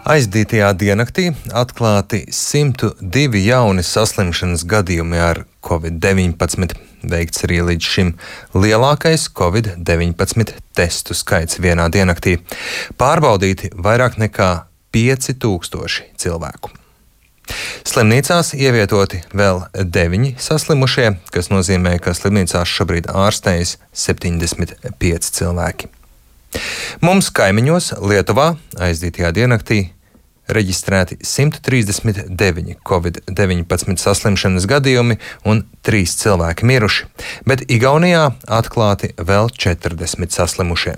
Aizdītajā diennaktī atklāti 102 jauni saslimšanas gadījumi ar Covid-19. Veikts arī līdz šim lielākais Covid-19 testu skaits vienā diennaktī. Pārbaudīti vairāk nekā 5000 cilvēku. Slimnīcās ievietoti vēl 9 saslimušie, kas nozīmē, ka slimnīcās šobrīd ārstējas 75 cilvēki. Mums kaimiņos Lietuvā aizdītajā diennaktī reģistrēti 139 Covid-19 saslimšanas gadījumi un 3 cilvēki miruši, bet Igaunijā atklāti vēl 40 saslimušie.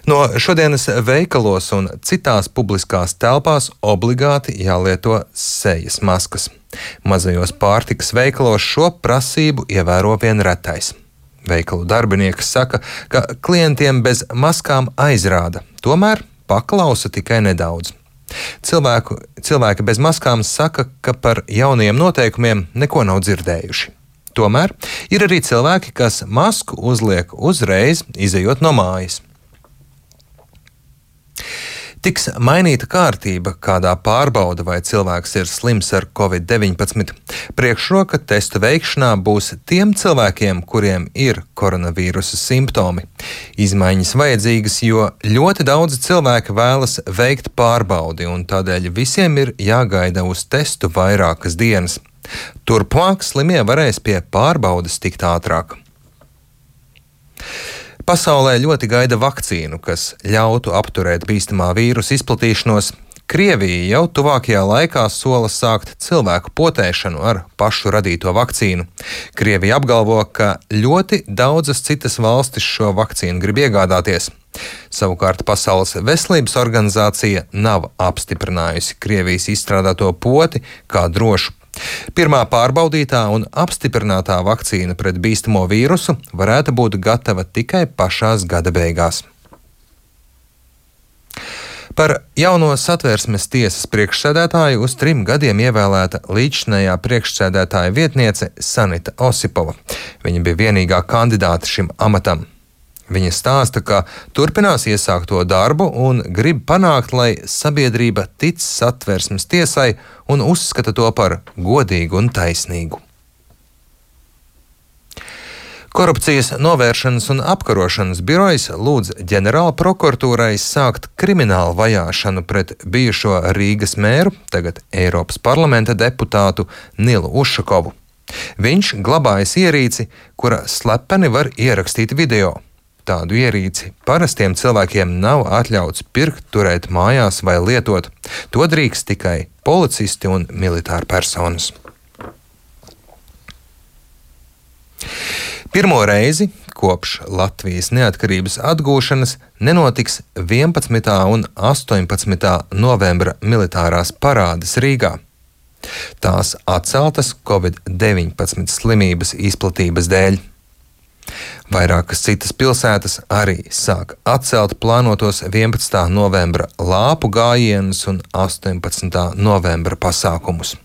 No šodienas veikalos un citās publiskās telpās obligāti jālieto sejas maskas. Mazajos pārtikas veikalos šo prasību ievēro vien retais. Veikalu darbinieki saka, ka klientiem bez maskām aizrāda, tomēr paklausa tikai nedaudz. Cilvēki bez maskām saka, ka par jaunajiem noteikumiem neko nav dzirdējuši. Tomēr ir arī cilvēki, kas masku uzliek uzreiz, izejot no mājas. Tiks mainīta kārtība, kādā pārbauda, vai cilvēks ir slims ar Covid-19. Priekšroka testu veikšanā būs tiem cilvēkiem, kuriem ir koronavīrusa simptomi. Izmaiņas vajadzīgas, jo ļoti daudzi cilvēki vēlas veikt pārbaudi, un tādēļ visiem ir jāgaida uz testu vairākas dienas. Turpmāk slimie varēs pie pārbaudes tikt ātrāk. Pasaulē ļoti gaida vakcīnu, kas ļautu apturēt bīstamā vīrusa izplatīšanos. Krievija jau tuvākajā laikā sola sākt cilvēku potēšanu ar pašu radīto vakcīnu. Krievija apgalvo, ka ļoti daudzas citas valstis šo vakcīnu grib iegādāties. Savukārt Pasaules veselības organizācija nav apstiprinājusi Krievijas izstrādāto poti kā drošu. Pirmā pārbaudītā un apstiprinātā vakcīna pret bīstamo vīrusu varētu būt gatava tikai pašās gada beigās. Par jauno Satversmes tiesas priekšsēdētāju uz 3 gadiem ievēlēta līdzšinējā priekšsēdētāja vietniece Sanita Osipova. Viņa bija vienīgā kandidāta šim amatam. Viņa stāsta, ka turpinās iesākto darbu un grib panākt, lai sabiedrība tic Satversmes tiesai un uzskata to par godīgu un taisnīgu. Korupcijas novēršanas un apkarošanas birojas lūdz ģenerāla prokuratūrai sākt kriminālu vajāšanu pret bijušo Rīgas mēru, tagad Eiropas parlamenta deputātu Nilu Ušakovu. Viņš glabājas ierīci, kura slepeni var ierakstīt video. Tādu ierīci parastiem cilvēkiem nav atļauts pirkt, turēt mājās vai lietot. To drīkst tikai policisti un militāri personas. Pirmo reizi kopš Latvijas neatkarības atgūšanas nenotiks 11. un 18. novembra militārās parādes Rīgā. Tās atceltas Covid-19 slimības izplatības dēļ. Vairākas citas pilsētas arī sāk atcelt plānotos 11. novembra lāpu gājienus un 18. novembra pasākumus.